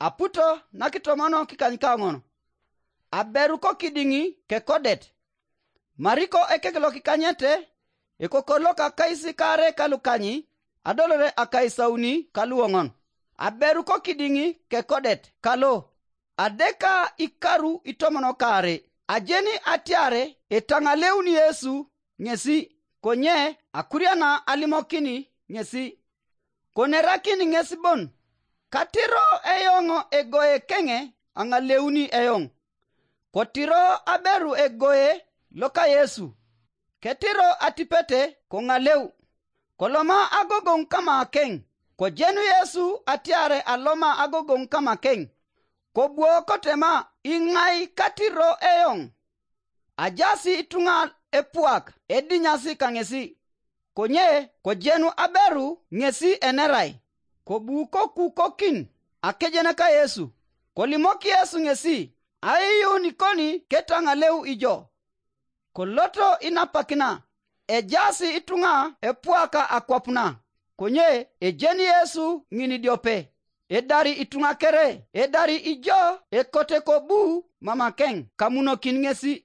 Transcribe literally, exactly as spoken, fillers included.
Aputo nakitomono kikanykaoŋon. Aberu kokidiŋ kekodet. Mariko ekek lokikanyete, ekokor loka kaisi kaare kalukany, adolore akaisauni kaluoŋon. Aberu kokidiŋ kekodet kalo, adeka ikaru itomon kaare. Ajeni atiar etaŋaleuni Yesu ŋesi, konye akuriana alimokin ŋesi. Konerakin ŋes bon, katiro eoŋ egoe keŋe aŋaleuni eoŋ. Kotiro aberu egoe loka Yesu, ketiro atipete koŋaleu. Koloma agogoŋ kamakeŋ. Kojenu Yesu atiar aloma agogoŋ kamakeŋ. Kobuo kotema, iŋai katiro eoŋ? Ajaas ituŋa epuak edinyasi kaŋesi, konye kojenu aberu ŋesi enerai. Kobu kokukokin akejen ka Yesu. Kolimok Yesu ŋesi, aiyuun ikoni ketaŋaleu ijo. Koloto inapakina, ejaas ituŋa epuaka akwap na, konye ejeni Yesu ŋin idiope. Edari ituŋa kere, edari ijo ekote kobu mamakeŋ kamunokin ŋesi.